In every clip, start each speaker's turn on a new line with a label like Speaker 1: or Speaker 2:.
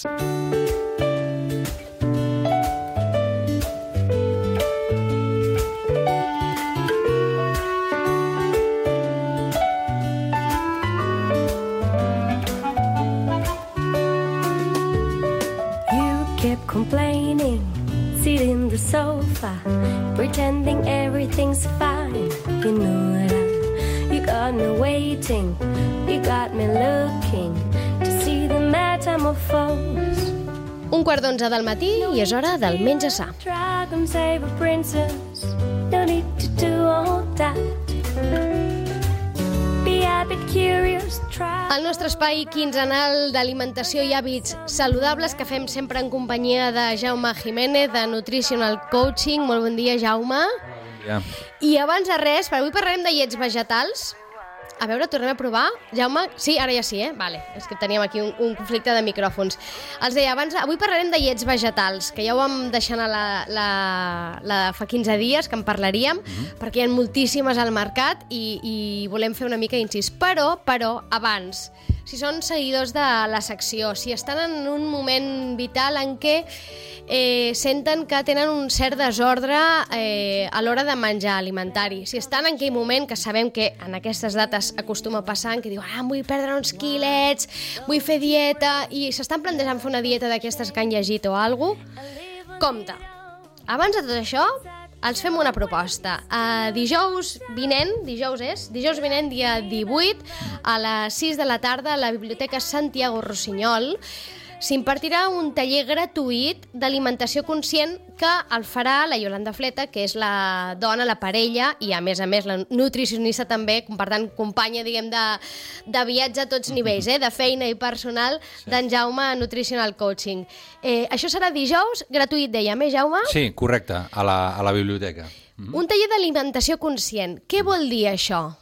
Speaker 1: Kept complaining, sitting in the sofa, pretending everything's fine. You know that you got me waiting, you got me looking to see the metamorphose.
Speaker 2: 1:15 del matí i és hora del menja sa.
Speaker 1: Dragon save a princess, no need to do all that.
Speaker 2: El nostre espai quinzenal d'alimentació i hàbits saludables que fem sempre en companyia de Jaume Jiménez, de Nutritional Coaching. Molt bon dia, Jaume.
Speaker 3: Bon dia.
Speaker 2: I abans de res, per avui parlarem de llets vegetals. A veure, tornem a provar. Jaume, sí, ara ja sí, Vale, és que teníem aquí un conflicte de micròfons. Els deia abans, avui parlarem de llets vegetals, que ja ho vam deixar anar fa 15 dies, que en parlaríem, perquè hi ha moltíssimes al mercat i volem fer una mica d'incís. Però, abans, si són seguidors de la secció, si estan en un moment vital en què senten que tenen un cert desordre a l'hora de menjar alimentari, si estan en aquell moment que sabem que en aquestes dates acostuma a passar, en què diuen em vull perdre uns quilets, vull fer dieta, i s'estan plantejant fer una dieta d'aquestes que han llegit o alguna cosa, compte. Abans de tot això, els fem una proposta. Dijous vinent, dia 18, a les 6 de la tarda, a la Biblioteca Santiago Rossinyol, s'impartirà un taller gratuït d'alimentació conscient que el farà la Yolanda Fleta, que és la dona, la parella, i a més la nutricionista també, per tant, companya, diguem, de viatge a tots nivells, de feina i personal, d'en Jaume a Nutritional Coaching. Això serà dijous, gratuït, dèiem, Jaume?
Speaker 3: Sí, correcte, a la biblioteca.
Speaker 2: Un taller d'alimentació conscient. Què vol dir això?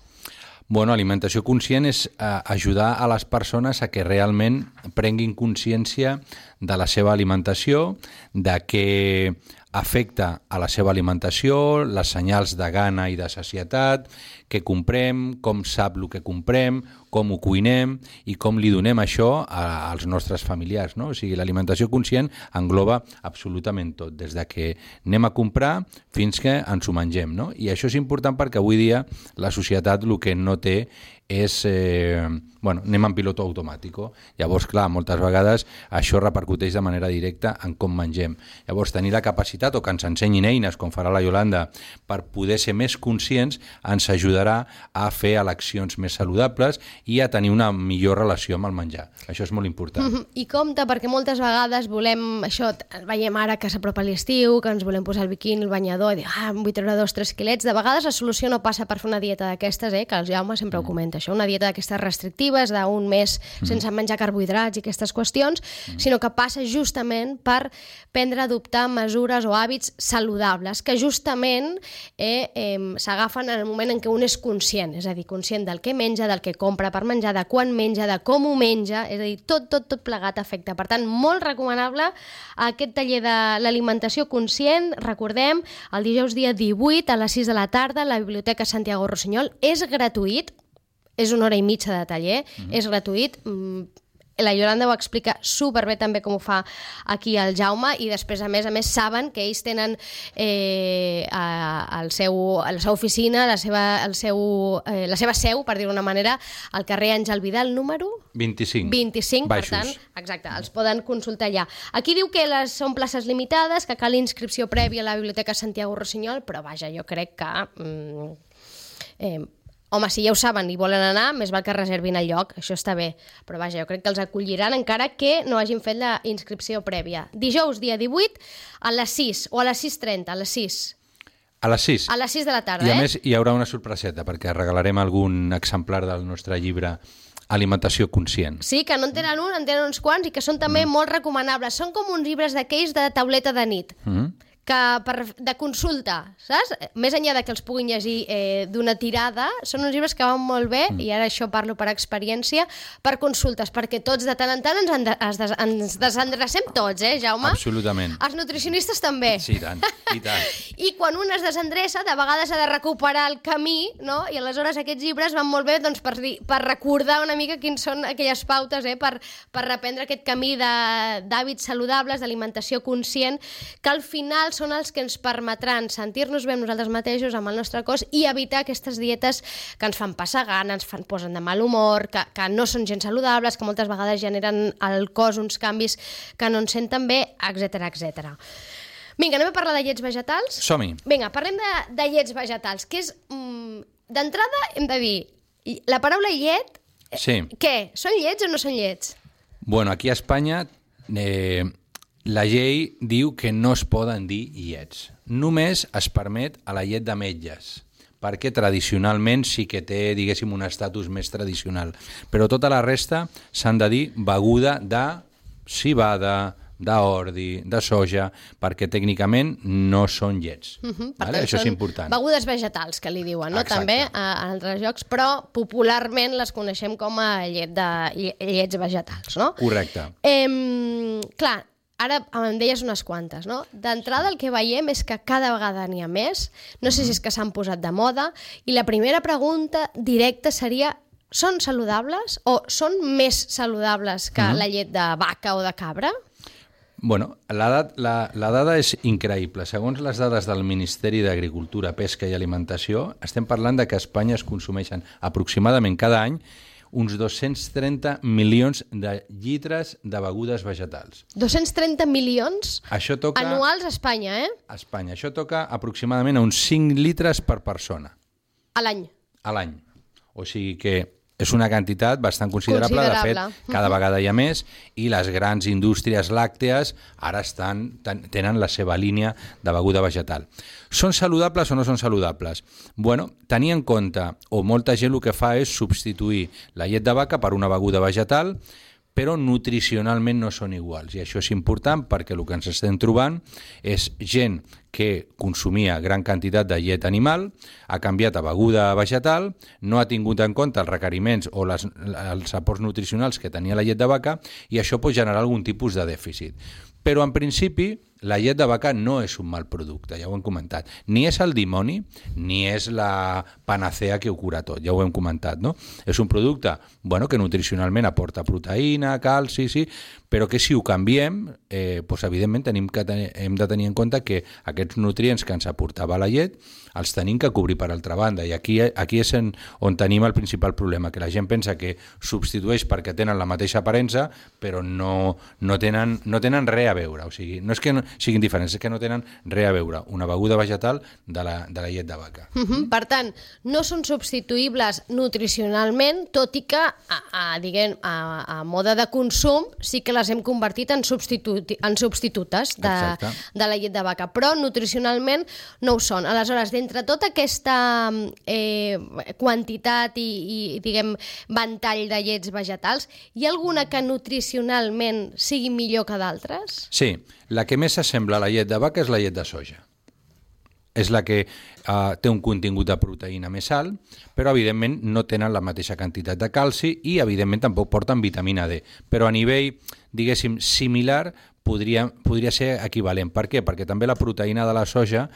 Speaker 3: Bueno, alimentació conscient és ajudar a les persones a que realment prenguin consciència de la seva alimentació, de què afecta a la seva alimentació, les senyals de gana i de sacietat, què comprem, com sap el que comprem, com ho cuinem i com li donem això als nostres familiars, no? O sigui, l'alimentació conscient engloba absolutament tot, des de que anem a comprar fins que ens ho mengem, no? I això és important perquè avui dia la societat el que no té és, anem en piloto automàtic. Llavors, clar, moltes vegades això repercuteix de manera directa en com mengem. Llavors, tenir la capacitat o que ens ensenyin eines, com farà la Yolanda, per poder ser més conscients, ens ajudarà a fer eleccions més saludables i a tenir una millor relació amb el menjar. Això és molt important.
Speaker 2: I compte, perquè moltes vegades volem, això, veiem ara que s'apropa l'estiu, que ens volem posar el biquini, el banyador, i dir, em vull treure 2-3 quilets. De vegades la solució no passa per fer una dieta d'aquestes, que el Jaume sempre ho comenta, això, una dieta d'aquestes restrictives, d'un mes sense menjar carbohidrats i aquestes qüestions, sinó que passa justament per prendre, adoptar mesures o hàbits saludables, que justament s'agafen en el moment en què un és conscient, és a dir, conscient del que menja, del que compra per menjar, de quan menja, de com ho menja, és a dir, tot plegat afecta. Per tant, molt recomanable aquest taller de l'alimentació conscient, recordem, el dijous dia 18 a les 6 de la tarda a la Biblioteca Santiago Rossinyol, és gratuït, és 1 hora i mitja de taller, és gratuït. La Yolanda ho explica superbé també com ho fa aquí el Jaume, i després, a més, saben que ells tenen a la seva oficina, la seva seu, per dir-ho d'una manera, al carrer Àngel Vidal, número 25,
Speaker 3: baixos.
Speaker 2: Per tant, exacte, els poden consultar allà. Aquí diu que són places limitades, que cal inscripció prèvia a la Biblioteca Santiago Rossinyol, però vaja, jo crec que home, si ja ho saben i volen anar, més val que reservin el lloc, això està bé. Però vaja, jo crec que els acolliran encara que no hagin fet la inscripció prèvia. Dijous, dia 18, a les 6, o a les 6:30, a les 6.
Speaker 3: A les 6.
Speaker 2: A les 6 de la tarda,
Speaker 3: I a més hi haurà una sorpreseta, perquè regalarem algun exemplar del nostre llibre Alimentació conscient.
Speaker 2: Sí, que no en tenen uns quants, i que són també molt recomanables. Són com uns llibres d'aquells de tauleta de nit, de consulta, saps? Més enllà de que els puguin llegir d'una tirada, són uns llibres que van molt bé, i ara això parlo per experiència, per consultes, perquè tots de tant en tant ens desendrecem tots, Jaume?
Speaker 3: Absolutament.
Speaker 2: Els nutricionistes també.
Speaker 3: Sí, tant, i tant.
Speaker 2: I quan un es desendreça, de vegades ha de recuperar el camí, no? I aleshores aquests llibres van molt bé doncs, per recordar una mica quins són aquelles pautes, per reprendre aquest camí d'hàbits saludables, d'alimentació conscient, que al final són els que ens permetran sentir-nos bé amb nosaltres mateixos, amb el nostre cos, i evitar aquestes dietes que ens fan passar gana, posen de mal humor, que no són gens saludables, que moltes vegades generen al cos uns canvis que no ens senten bé, etc etc. Vinga, anem a parlar de llets vegetals?
Speaker 3: Som-hi.
Speaker 2: Vinga, parlem de llets vegetals, que és... D'entrada hem de dir, la paraula llet,
Speaker 3: sí.
Speaker 2: Què? Són llets o no són llets?
Speaker 3: Bueno, aquí a Espanya... La llei diu que no es poden dir llets. Només es permet a la llet de metges, perquè tradicionalment sí que té, diguéssim, un estatus més tradicional. Però tota la resta s'han de dir beguda de civada, d'ordi, de soja, perquè tècnicament no són llets. Vale? Això és important.
Speaker 2: Begudes vegetals, que li diuen, no?
Speaker 3: Exacte.
Speaker 2: També a altres llocs, però popularment les coneixem com a llets vegetals, no?
Speaker 3: Correcte.
Speaker 2: Clar, ara em deies unes quantes, no? D'entrada el que veiem és que cada vegada n'hi ha més, no sé si és que s'han posat de moda, i la primera pregunta directa seria: són saludables o són més saludables que la llet de vaca o de cabra?
Speaker 3: Bueno, la dada és increïble. Segons les dades del Ministeri d'Agricultura, Pesca i Alimentació, estem parlant de que a Espanya es consumeixen aproximadament cada any uns 230 milions de litres de begudes vegetals.
Speaker 2: 230 milions anuals a Espanya,
Speaker 3: A Espanya. Això toca aproximadament a uns 5 litres per persona.
Speaker 2: A l'any.
Speaker 3: A l'any. O sigui que és una quantitat bastant considerable. De fet, cada vegada hi ha més, i les grans indústries làctees ara tenen la seva línia de beguda vegetal. Són saludables o no són saludables? Bueno, tenir en compte, o molta gent el que fa és substituir la llet de vaca per una beguda vegetal, però nutricionalment no són iguals. I això és important perquè el que ens estem trobant és gent que consumia gran quantitat de llet animal, ha canviat a beguda vegetal, no ha tingut en compte els requeriments o els aports nutricionals que tenia la llet de vaca, i això pot generar algun tipus de dèficit. Però en principi la llet de vaca no és un mal producte, ja ho hem comentat. Ni és el dimoni, ni és la panacea que ho cura tot, ja ho hem comentat, no? És un producte que nutricionalment aporta proteïna, calci, sí, però que si ho canviem, evidentment hem de tenir en compte que aquests nutrients que ens aportava la llet els tenim que cobrir per altra banda, i aquí és on tenim el principal problema, que la gent pensa que substitueix perquè tenen la mateixa aparença, però no tenen res a veure. O sigui, no és que siguin diferents, és que no tenen res a veure una beguda vegetal de la llet de vaca.
Speaker 2: Per tant, no són substituïbles nutricionalment, tot i que a mode de consum sí que les hem convertit en substitutes de la llet de vaca, però nutricionalment no ho són. Aleshores, d'entre tota aquesta quantitat i diguem, ventall de llets vegetals, hi ha alguna que nutricionalment sigui millor que d'altres?
Speaker 3: Sí, la que més s'assembla a la llet de vaca és la llet de soja. És la que té un contingut de proteïna més alt, però evidentment no tenen la mateixa quantitat de calci i evidentment tampoc porten vitamina D. Però a nivell, diguéssim, similar, podria ser equivalent. Per què? Perquè també la proteïna de la soja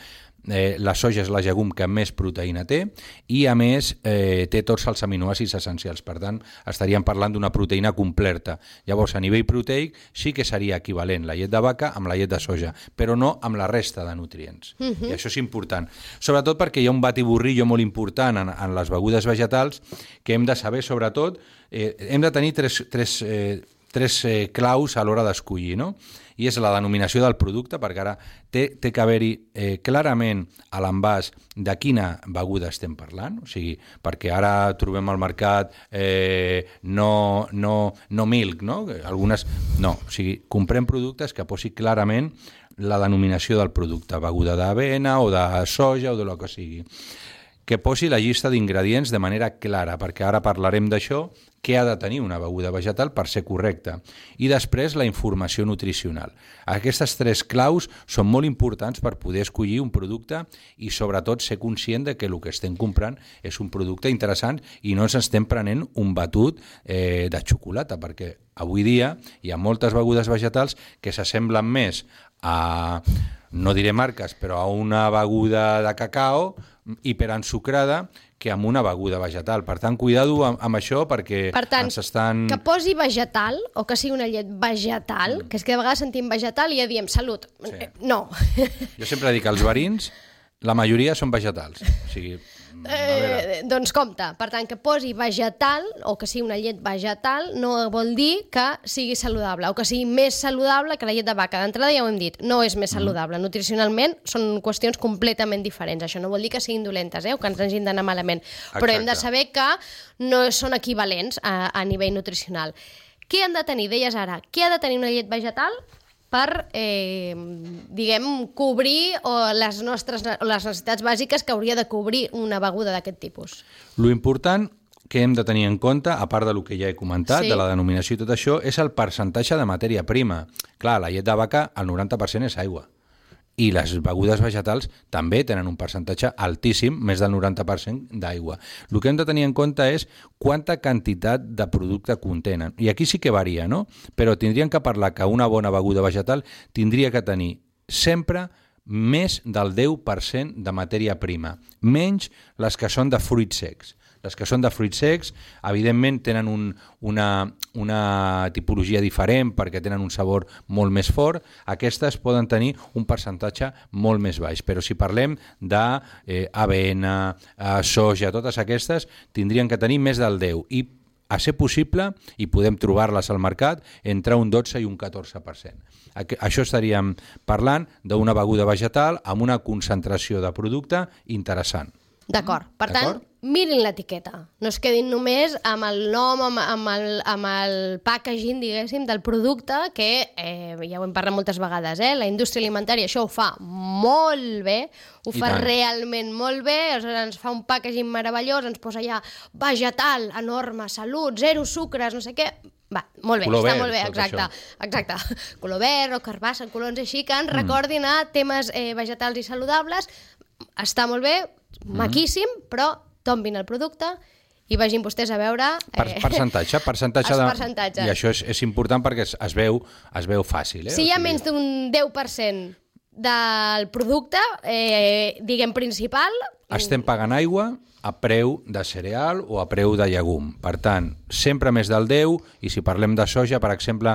Speaker 3: és la llegum que més proteïna té, i a més té tots els aminoàcids essencials. Per tant, estaríem parlant d'una proteïna completa. Llavors, a nivell proteic sí que seria equivalent la llet de vaca amb la llet de soja, però no amb la resta de nutrients. I això és important. Sobretot perquè hi ha un batiburrillo molt important en les begudes vegetals que hem de saber, sobretot, hem de tenir tres claus a l'hora d'escollir, no? I és la denominació del producte, perquè ara té que haver-hi clarament a l'envàs de quina beguda estem parlant, o sigui, perquè ara trobem al mercat no milk, no? Algunes no, o sigui, comprem productes que posi clarament la denominació del producte, beguda d'avena o de soja o de lo que sigui. que posi la llista d'ingredients de manera clara, perquè ara parlarem d'això, què ha de tenir una beguda vegetal per ser correcta. I després la informació nutricional. Aquestes 3 claus són molt importants per poder escollir un producte i sobretot ser conscient de que el que estem comprant és un producte interessant i no ens estem prenent un batut de xocolata, perquè avui dia hi ha moltes begudes vegetals que s'assemblen més a, no diré marques, però a una beguda de cacao hiperensucrada que amb una beguda vegetal. Per tant, cuidado amb això perquè
Speaker 2: per tant,
Speaker 3: ens estan...
Speaker 2: que posi vegetal o que sigui una llet vegetal, que és que de vegades sentim vegetal i ja diem salut. Sí. No.
Speaker 3: Jo sempre dic que els verins, la majoria són vegetals. O sigui,
Speaker 2: doncs compte, per tant, que posi vegetal o que sigui una llet vegetal no vol dir que sigui saludable o que sigui més saludable que la llet de vaca. D'entrada ja ho hem dit, no és més saludable. Nutricionalment són qüestions completament diferents. Això no vol dir que siguin dolentes o que ens hagin d'anar malament. Exacte. Però hem de saber que no són equivalents a nivell nutricional. Què han de tenir? Deies ara, què ha de tenir una llet vegetal per, diguem, cobrir les necessitats bàsiques que hauria de cobrir una beguda d'aquest tipus?
Speaker 3: Lo important que hem de tenir en compte, a part del que ja he comentat, de la denominació i tot això, és el percentatge de matèria prima. Clar, la llet de vaca, el 90% és aigua. I les begudes vegetals també tenen un percentatge altíssim, més del 90% d'aigua. El que hem de tenir en compte és quanta quantitat de producte contenen. I aquí sí que varia, no? Però tindríem que parlar que una bona beguda vegetal tindria que tenir sempre més del 10% de matèria prima, menys les que són de fruits secs. Les que són de fruits secs, evidentment, tenen una tipologia diferent perquè tenen un sabor molt més fort. Aquestes poden tenir un percentatge molt més baix. Però si parlem d'avena, soja, totes aquestes, tindrien que tenir més del 10%. I a ser possible, i podem trobar-les al mercat, entre un 12 i un 14%. Això estaríem parlant d'una beguda vegetal amb una concentració de producte interessant.
Speaker 2: D'acord. Per tant, mirin l'etiqueta. No es quedin només amb el nom, amb el packaging, diguéssim, del producte, que ja ho hem parlat moltes vegades, la indústria alimentària això ho fa molt bé, ho fa realment molt bé, ens fa un packaging meravellós, ens posa allà vegetal, enorme, salut, 0 sucres, no sé què... Va, molt bé, està molt bé, exacte. Color verd o carbassa, colors així que ens recordin a temes vegetals i saludables. Està molt bé, maquíssim, però tombin el producte i vagin vostès a veure...
Speaker 3: Percentatge. I això és important perquè es veu fàcil.
Speaker 2: Si hi ha menys d'un 10% del producte, diguem, principal...
Speaker 3: Estem pagant aigua a preu de cereal o a preu de llegum. Per tant, sempre més del 10, i si parlem de soja, per exemple,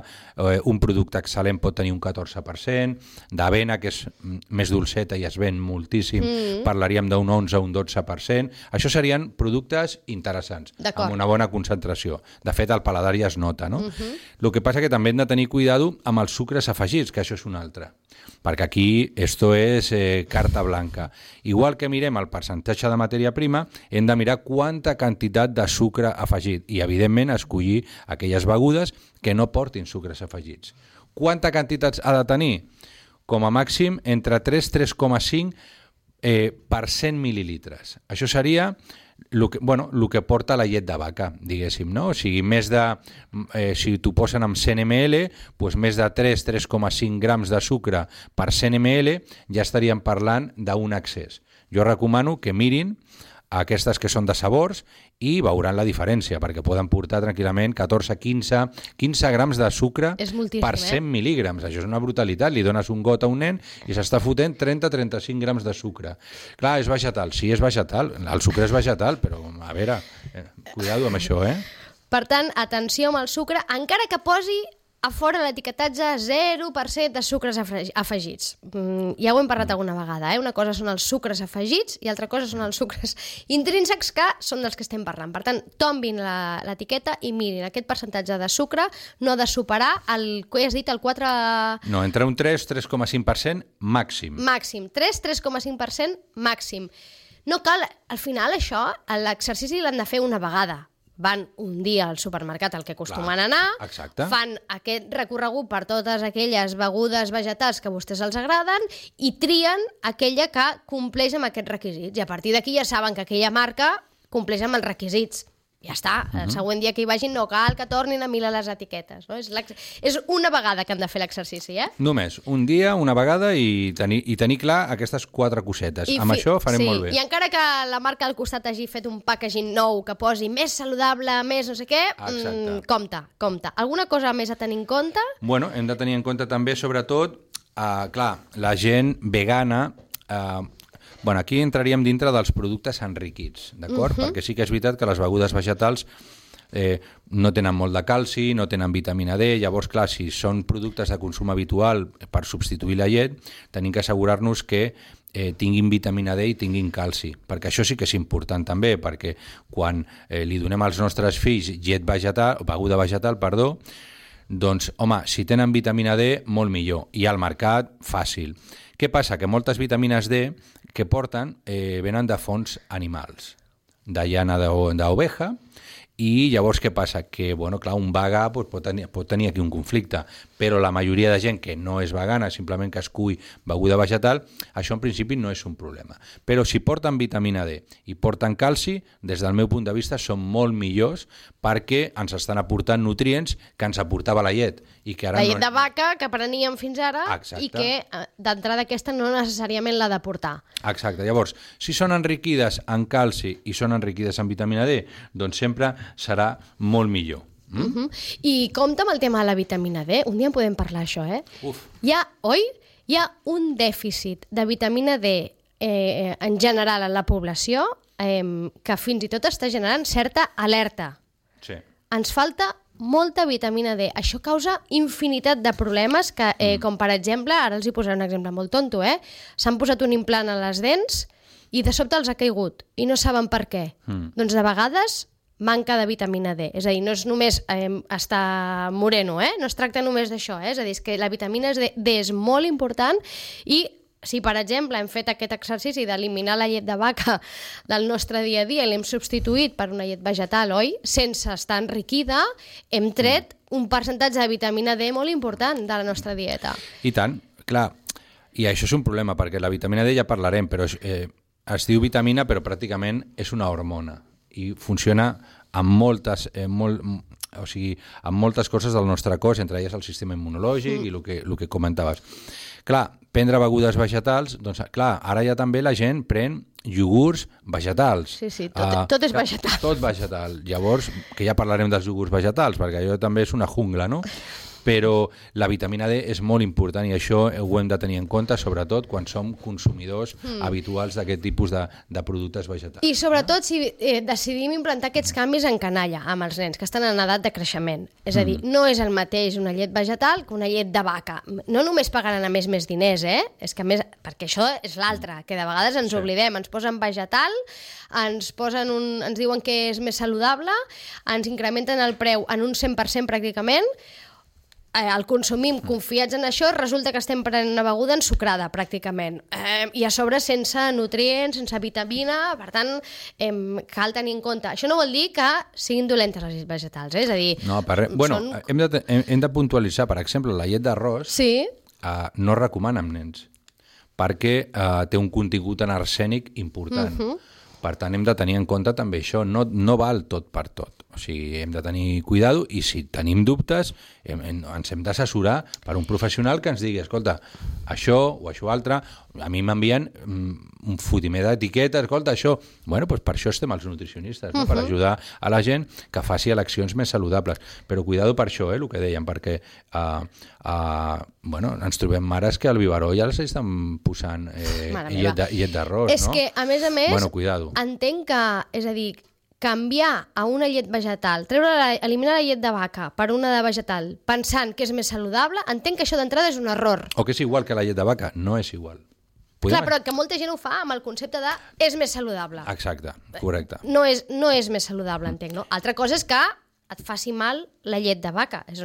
Speaker 3: un producte excel·lent pot tenir un 14%, d'avena, que és més dolceta i es ven moltíssim, parlaríem d'un 11 o un 12%. Això serien productes interessants, amb una bona concentració. De fet, el paladar ja es nota, no? El que passa que també hem de tenir cuidado amb els sucres afegits, que això és un altre. Perquè aquí esto és carta blanca. Igual que mirem el percentatge de matèria prima, hem de mirar quanta quantitat de sucre afegit i, evidentment, escollir aquelles begudes que no portin sucres afegits. Quanta quantitat ha de tenir? Com a màxim, entre 3 i 3,5 per 100 mil·lilitres. Això seria el que porta la llet de vaca, diguéssim, no? O sigui, si t'ho posen amb 100 ml, doncs més de 3,5 grams de sucre per 100 ml ja estaríem parlant d'un excés. Jo recomano que mirin aquestes que són de sabors i veuran la diferència, perquè poden portar tranquil·lament 14, 15 grams de sucre per 100 mil·lígrams. Això és una brutalitat. Li dones un got a un nen i s'està fotent 30-35 grams de sucre. Clar, és vegetal. Sí, és vegetal. El sucre és vegetal, però a veure, cuidado amb això,
Speaker 2: Per tant, atenció amb el sucre, encara que posi a fora l'etiquetatge 0% de sucres afegits. Ja ho hem parlat alguna vegada, Una cosa són els sucres afegits i altra cosa són els sucres intrínsecs, que són dels que estem parlant. Per tant, tombin l'etiqueta i mirin, aquest percentatge de sucre no ha de superar el que has dit, el 4...
Speaker 3: No, entre un 3,5% màxim.
Speaker 2: Màxim, 3,5% màxim. No cal, al final això, l'exercici l'han de fer una vegada. van un dia al supermercat al que acostumen a anar,
Speaker 3: exacte.
Speaker 2: fan aquest recorregut per totes aquelles begudes vegetals que a vostès els agraden i trien aquella que compleix amb aquests requisits. I a partir d'aquí ja saben que aquella marca compleix amb els requisits. Ja està, el següent dia que hi vagin no cal que tornin a mirar les etiquetes. No? És una vegada que han de fer l'exercici,
Speaker 3: Només, un dia, una vegada i tenir clar aquestes 4 cosetes. Amb això farem molt bé.
Speaker 2: I encara que la marca al costat hagi fet un packaging nou que posi més saludable, més no sé què, compte. Alguna cosa més a tenir en compte?
Speaker 3: Bueno, hem de tenir en compte també, sobretot, clar, la gent vegana... Bueno, aquí entraríem dintre dels productes enriquits, d'acord? Perquè sí que és veritat que les begudes vegetals no tenen molt de calci, no tenen vitamina D, llavors, clar, si són productes de consum habitual per substituir la llet, tenim que assegurar-nos que tinguin vitamina D i tinguin calci, perquè això sí que és important també, perquè quan li donem als nostres fills beguda vegetal, doncs, home, si tenen vitamina D, molt millor, i al mercat, fàcil. Què passa? Que moltes vitamines D que porten venen de fonts animals, de llana d'oveja, i llavors què passa? Que, bueno, clar, un vegà pot tenir aquí un conflicte, però la majoria de gent que no és vegana, simplement que es cull beguda vegetal, això en principi no és un problema. Però si porten vitamina D i porten calci, des del meu punt de vista són molt millors perquè ens estan aportant nutrients que ens aportava la llet. I que ara
Speaker 2: la llet de vaca que preníem fins ara.
Speaker 3: Exacte.
Speaker 2: I que d'entrada aquesta no necessàriament l'ha d'aportar.
Speaker 3: Exacte. Llavors, si són enriquides en calci i són enriquides en vitamina D, doncs sempre serà molt millor.
Speaker 2: I compta amb el tema de la vitamina D. Un dia en podem parlar, això,
Speaker 3: Uf.
Speaker 2: Hi ha un dèficit de vitamina D en general en la població que fins i tot està generant certa alerta.
Speaker 3: Sí.
Speaker 2: Ens falta molta vitamina D. Això causa infinitat de problemes que, com per exemple, ara els hi posaré un exemple molt tonto, s'han posat un implant a les dents i de sobte els ha caigut i no saben per què. Doncs de vegades manca de vitamina D. És a dir, no és només estar moreno, no es tracta només d'això, és a dir, és que la vitamina D és molt important i si, per exemple, hem fet aquest exercici d'eliminar la llet de vaca del nostre dia a dia i l'hem substituït per una llet vegetal, sense estar enriquida, hem tret un percentatge de vitamina D molt important de la nostra dieta.
Speaker 3: I tant, clar. I això és un problema, perquè la vitamina D ja parlarem, però es diu vitamina, però pràcticament és una hormona i funciona amb moltes coses del nostre cos, entre elles el sistema immunològic i el que comentaves. Clar, prendre begudes vegetals, doncs clar, ara ja també la gent pren iogurts vegetals.
Speaker 2: Sí, tot és vegetal.
Speaker 3: Tot vegetal. Llavors, que ja parlarem dels iogurts vegetals, perquè allò també és una jungla, no? Però la vitamina D és molt important i això ho hem de tenir en compte, sobretot quan som consumidors habituals d'aquest tipus de productes vegetals.
Speaker 2: I sobretot si decidim implantar aquests canvis en canalla amb els nens que estan en edat de creixement. És a dir, no és el mateix una llet vegetal que una llet de vaca. No només pagaran a més diners, és que a més, perquè això és l'altre, que de vegades ens oblidem, ens posen vegetal, ens diuen que és més saludable, ens incrementen el preu en un 100% pràcticament, el consumim confiats en això, resulta que estem prenent una beguda ensucrada, pràcticament. I a sobre sense nutrients, sense vitamina, per tant, cal tenir en compte. Això no vol dir que siguin dolentes les vegetals, és a dir...
Speaker 3: No, hem de puntualitzar, per exemple, la llet d'arròs no es recomana amb nens, perquè té un contingut en arsènic important. Per tant, hem de tenir en compte també això, no val tot per tot. O sigui, hem de tenir cuidado i si tenim dubtes ens hem d'assessorar per un professional que ens digui, escolta, això o això altre, a mi m'envien un fotimer d'etiqueta, escolta, això... Bueno, doncs per això estem els nutricionistes, no? Per ajudar a la gent que faci eleccions més saludables. Però cuidado per això, el que dèiem, perquè ens trobem mares que al biberó ja les estan posant llet d'arròs, no?
Speaker 2: És que, a més,
Speaker 3: cuidado.
Speaker 2: Entenc que, és a dir, canviar a una llet vegetal, eliminar la llet de vaca per una de vegetal, pensant que és més saludable, entenc que això d'entrada és un error.
Speaker 3: O que és igual que la llet de vaca, no és igual.
Speaker 2: Clar, però que molta gent ho fa amb el concepte de és més saludable.
Speaker 3: Exacte, correcte.
Speaker 2: No és més saludable, entenc, no? Altra cosa és que et faci mal la llet de vaca, que és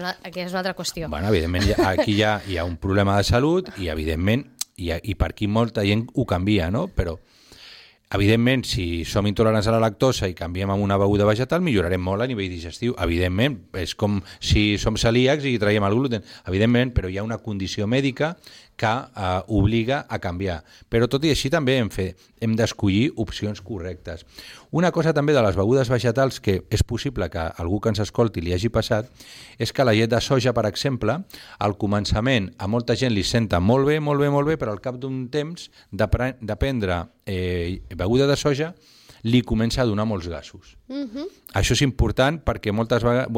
Speaker 2: una altra qüestió.
Speaker 3: Bueno, evidentment, aquí hi ha un problema de salut i, evidentment, i per aquí molta gent ho canvia, no? Però Evidentment, si som intolerants a la lactosa i canviem a una beguda vegetal, millorarem molt a nivell digestiu. Evidentment, és com si som celíacs i traiem el gluten. Evidentment, però hi ha una condició mèdica que obliga a canviar. Però tot i així també hem d'escollir opcions correctes. Una cosa també de les begudes vegetals que és possible que algú que ens escolti li hagi passat és que la llet de soja, per exemple, al començament a molta gent li senta molt bé, però al cap d'un temps de prendre beguda de soja li comença a donar molts gasos. Això és important perquè moltes vegades,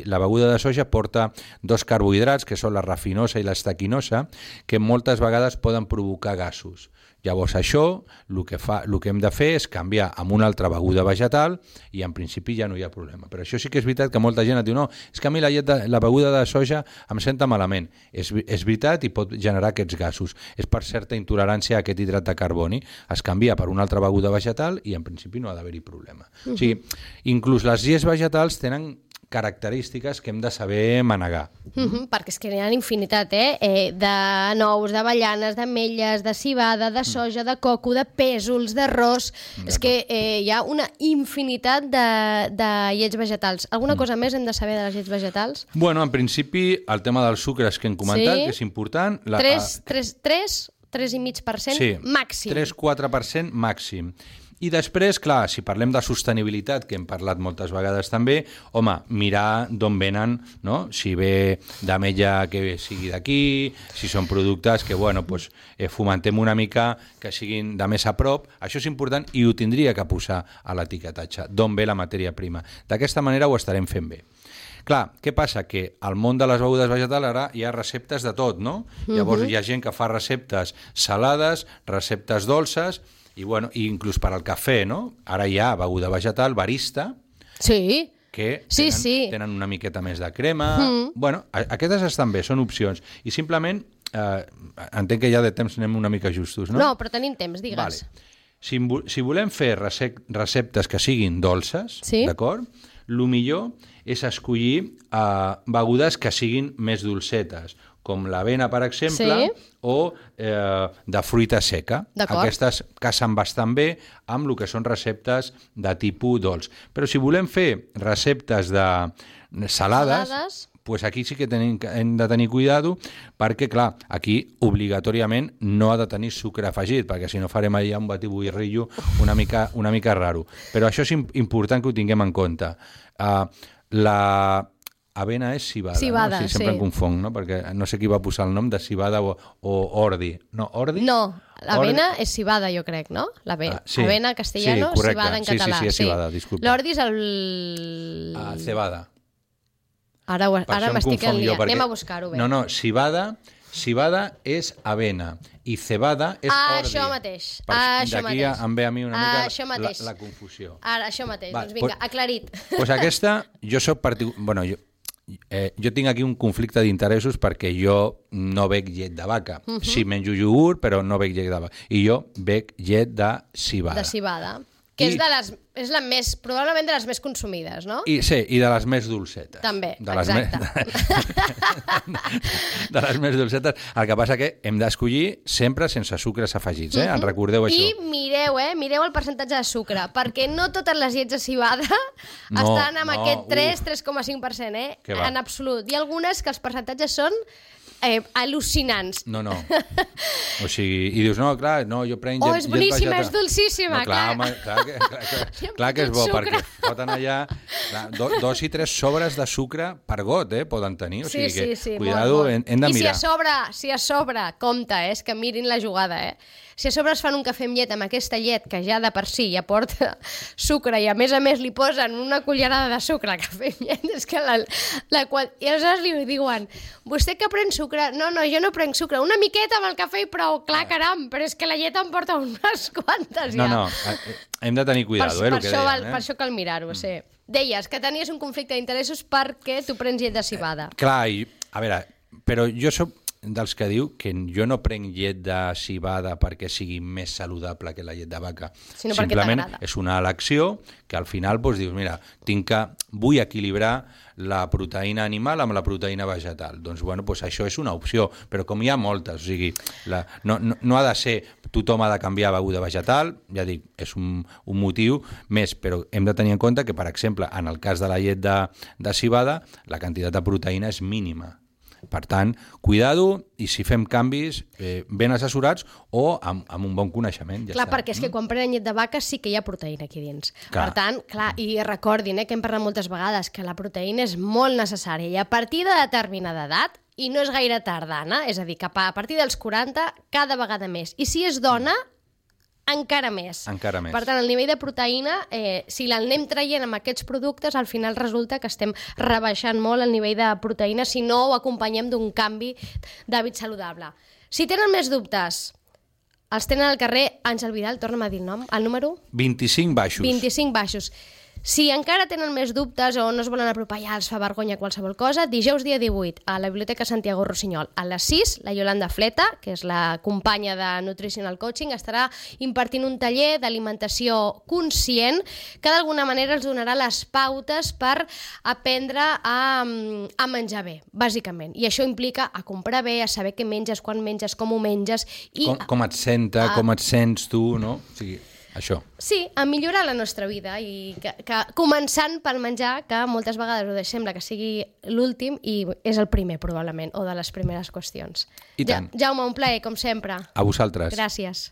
Speaker 3: la beguda de soja porta 2 carbohidrats, que són la rafinosa i l'estaquinosa, que moltes vegades poden provocar gasos. Llavors això, el que hem de fer és canviar amb una altra beguda vegetal i en principi ja no hi ha problema. Però això sí que és veritat que molta gent et diu no, és que a mi la beguda de soja em senta malament. És veritat i pot generar aquests gasos. És per certa intolerància a aquest hidrat de carboni. Es canvia per una altra beguda vegetal i en principi no ha d'haver-hi problema. O sigui, inclús les llets vegetals tenen característiques que hem de saber manegar.
Speaker 2: Perquè és que n'hi ha infinitat, de nous, d'avellanes, d'ametlles, de civada, de soja, de coco, de pèsols, d'arròs... És que hi ha una infinitat de llets vegetals. Alguna cosa més hem de saber de les llets vegetals?
Speaker 3: Bueno, en principi, el tema dels sucres que hem comentat, que és important...
Speaker 2: 3,5% màxim.
Speaker 3: 3-4% màxim. I després, clar, si parlem de sostenibilitat, que hem parlat moltes vegades també, home, mirar d'on venen, no? Si ve d'ametlla que sigui d'aquí, si són productes que, fomentem una mica que siguin de més a prop, això és important i ho tindria que posar a l'etiquetatge, d'on ve la matèria prima. D'aquesta manera ho estarem fent bé. Clar, què passa? Que al món de les begudes vegetals ara hi ha receptes de tot, no? Llavors hi ha gent que fa receptes salades, receptes dolces, i inclús per al cafè, no? Ara hi ha beguda vegetal, barista, que tenen una miqueta més de crema. Aquestes estan bé, són opcions. I simplement, entenc que ja de temps anem una mica justos, no?
Speaker 2: No, però tenim temps, digues.
Speaker 3: Vale. Si volem fer receptes que siguin dolces, d'acord? El millor és escollir begudes que siguin més dolcetes, com l'avena, per exemple, o de fruita seca. Aquestes casen bastant bé amb el que són receptes de tipus dolç. Però si volem fer receptes de salades, pues aquí sí que hem de tenir cuidado perquè, clar, aquí obligatòriament no ha de tenir sucre afegit, perquè si no farem allà un batiburrillo una mica raro. Però això és important que ho tinguem en compte. Avena és civada, no? Sempre em confong, no? Perquè no sé qui va posar el nom de civada o ordi. No, ordi?
Speaker 2: No, l'avena és civada, jo crec, no? Avena castellano, civada en català.
Speaker 3: Sí, és civada, disculpa.
Speaker 2: L'ordi és el...
Speaker 3: Cebada.
Speaker 2: Ara m'estic enliant. Anem a buscar-ho bé.
Speaker 3: No, civada és avena i cebada és ordi.
Speaker 2: Això mateix.
Speaker 3: D'aquí em ve a mi una mica la confusió.
Speaker 2: Ara, això mateix. Doncs vinga, aclarit.
Speaker 3: Doncs aquesta, jo soc jo tinc aquí un conflicte d'interessos perquè jo no bec llet de vaca. Sí, menjo iogurt, però no bec llet de vaca. I jo bec llet de civada.
Speaker 2: De civada. Que és la més, probablement de les més consumides, no?
Speaker 3: I de les més dolcetes.
Speaker 2: També, exacte.
Speaker 3: De les més dolcetes. El que passa que hem d'escollir sempre sense sucres afegits, en recordeu això.
Speaker 2: I mireu el percentatge de sucre, perquè no totes les llets de civada estan amb aquest 3,5%, en absolut. Hi ha algunes que els percentatges són al·lucinants.
Speaker 3: No. O sigui, i dius, no, clar, jo prenc llet
Speaker 2: és boníssima, és dolcíssima,
Speaker 3: clar que és bo, perquè foten allà 2 i 3 sobres de sucre per got, poden tenir, o sigui que, cuidado, hem de mirar.
Speaker 2: I si a sobre, compte, és que mirin la jugada, si a sobre es fan un cafè amb llet amb aquesta llet que ja de per si ja porta sucre i a més li posen una cullerada de sucre al cafè amb llet, és que i aleshores li diuen, vostè que pren sucre? No, jo no prenc sucre, una miqueta amb el cafè i prou, clar, caram, però és que la llet em porta unes quantes ja.
Speaker 3: No, hem de tenir cuidado, el que deien.
Speaker 2: Per això cal mirar-ho, sí. Deies que tenies un conflicte d'interessos perquè tu prens llet de civada.
Speaker 3: Clar, a veure, però jo soc dels que diu que jo no prenc llet de civada perquè sigui més saludable que la llet de vaca. Simplement és una elecció que al final doncs, dius, mira, vull equilibrar la proteïna animal amb la proteïna vegetal. Doncs bueno, doncs això és una opció, però com hi ha moltes, o sigui, no ha de ser tothom ha de canviar a beguda vegetal, ja dic, és un motiu més, però hem de tenir en compte que, per exemple, en el cas de la llet de civada, la quantitat de proteïna és mínima. Per tant, cuidado, i si fem canvis ben assessorats o amb un bon coneixement. Ja
Speaker 2: clar,
Speaker 3: està.
Speaker 2: Perquè és que quan prenen llet de vaca sí que hi ha proteïna aquí dins. Clar. Per tant, clar, i recordin que hem parlat moltes vegades que la proteïna és molt necessària i a partir de determinada edat, i no és gaire tardana, és a dir, que a partir dels 40 cada vegada més. I si és dona, encara més.
Speaker 3: Encara més.
Speaker 2: Per tant, el nivell de proteïna, si l'anem traient amb aquests productes, al final resulta que estem rebaixant molt el nivell de proteïna si no ho acompanyem d'un canvi d'hàbit saludable. Si tenen més dubtes, els tenen al carrer Àngel Vidal, torna'm a dir el nom, el número?
Speaker 3: 25 baixos.
Speaker 2: 25 baixos. Si encara tenen més dubtes o no es volen apropar ja, els fa vergonya qualsevol cosa, dijous dia 18 a la Biblioteca Santiago Rossinyol a les 6, la Yolanda Fleta, que és la companya de Nutritional Coaching, estarà impartint un taller d'alimentació conscient que d'alguna manera els donarà les pautes per aprendre a menjar bé, bàsicament. I això implica a comprar bé, a saber què menges, quan menges, com ho menges. I
Speaker 3: com et com et sents tu, no? O sigui, això.
Speaker 2: Sí, a millorar la nostra vida i que començant pel menjar, que moltes vegades ho sembla que sigui l'últim i és el primer probablement, o de les primeres qüestions.
Speaker 3: I tant.
Speaker 2: Jaume, un plaer, com sempre.
Speaker 3: A vosaltres.
Speaker 2: Gràcies.